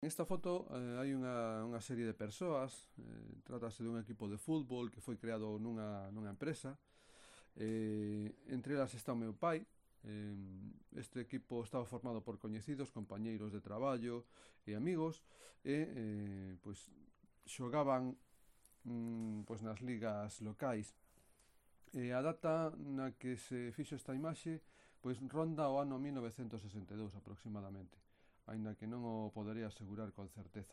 Nesta foto hai unha serie de persoas, trátase dun equipo de fútbol que foi creado nunha empresa. Entre elas está o meu pai. Este equipo estaba formado por coñecidos, compañeiros de traballo e amigos, e pois xogaban pois nas ligas locais. E a data na que se fixo esta imaxe pois ronda o ano 1962 aproximadamente, aínda que non o podería asegurar con certeza.